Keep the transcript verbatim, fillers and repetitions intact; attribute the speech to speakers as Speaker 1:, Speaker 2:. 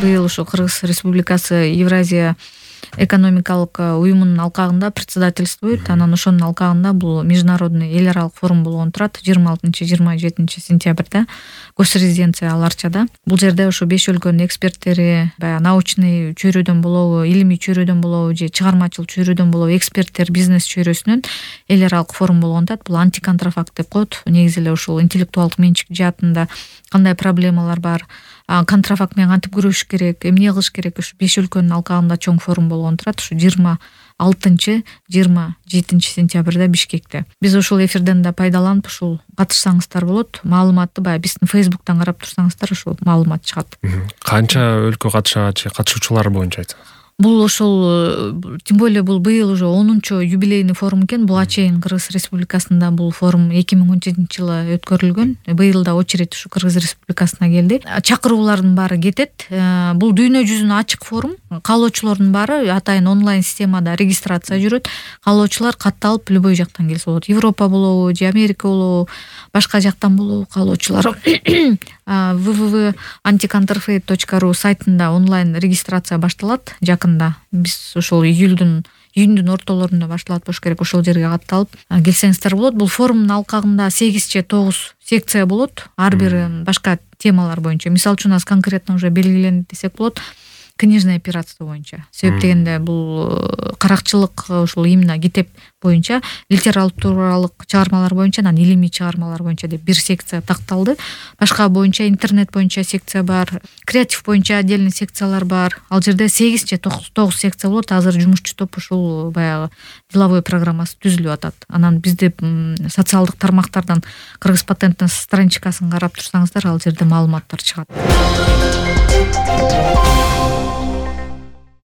Speaker 1: быйыл ушу Кыргыз Республикасы Евразия экономикалык уюмунун алкагында председательствуйт. Анан ошонун алкагында бул международный эл аралык форум болгон турат жыйырма алтынчы жыйырма жетинчи сентябрда госрезиденция Ал Арчада. Бул жерде ушу беш өлкөнүн эксперттери, баягы научный чөйрөдөн болобу, илимий чөйрөдөн болобу же чыгармачыл чөйрөдөн болобу эксперттер бизнес чөйрөсүнөн эл аралык форум болгон турат. Бул антиконтрафакт деп коет. Негизи эле ушул интеллектуалдык менчик жаатында кандай проблемалар бар, контрафакт менен кантип күрөшүш керек, эмне кылыш керек, ушу беш өлкөнүн алкагында чоң форум болгон турат. Ушу жыйырма алтынчы жыйырма жетинчи сентябрда Бишкекте. Биз ушул эфирден да пайдаланып ушул катышсаңыздар болот. Маалыматты баягы биздин Facebook'тан карап турсаңыздар ушул маалымат чыгат.
Speaker 2: Канча өлкө катышат же катышуучулар боюнча айтсаңыз?
Speaker 1: Бул ошол, тем более бул быйыл уже онунчу юбилейный форум экен. Буга чейин Кыргыз Республикасында бул форум эки миң он жетинчи жылы өткөрүлгөн. Быйыл да очередь ушу Кыргыз Республикасына келди. Чакыруулардын баары кетет. Бул дүйнө жүзүнө ачык форум. Каалоочулордун баары атайын онлайн системада регистрация жүрөт. Каалоочулар катталып любой жактан келсе болот. Европа болобу же Америка болобу, башка жактан болобу каалоочулар дабл ю дабл ю дабл ю точка антиконтрафейт точка ру сайтында онлайн регистрация башталат. Жакында биз ошол июлдун июндун ортолорунда башталат болуш керек. Ошол жерге катталып келсеңиздер болот. Бул форумдун алкагында сегиз же тогуз секция болот. Ар бири башка темалар боюнча. Мисалы үчүн аз конкретно уже белгиленди десек болот. Книжное пиратство боюнча. Себеп дегенде бул каракчылык ушул именно китеп боюнча, литературалык чыгармалар боюнча, анан илимий чыгармалар боюнча деп бир секция такталды. Башка боюнча интернет боюнча секция бар, креатив боюнча отдельный секциялар бар. Ал жерде сегиз же тогуз секция болот. Азыр жумушчу топ ушул баягы деловой программасы түзүлүп атат. Анан бизде социалдык тармактардан Кыргыз патенттин страничкасын карап турсаңыздар, ал жерде маалыматтар чыгат.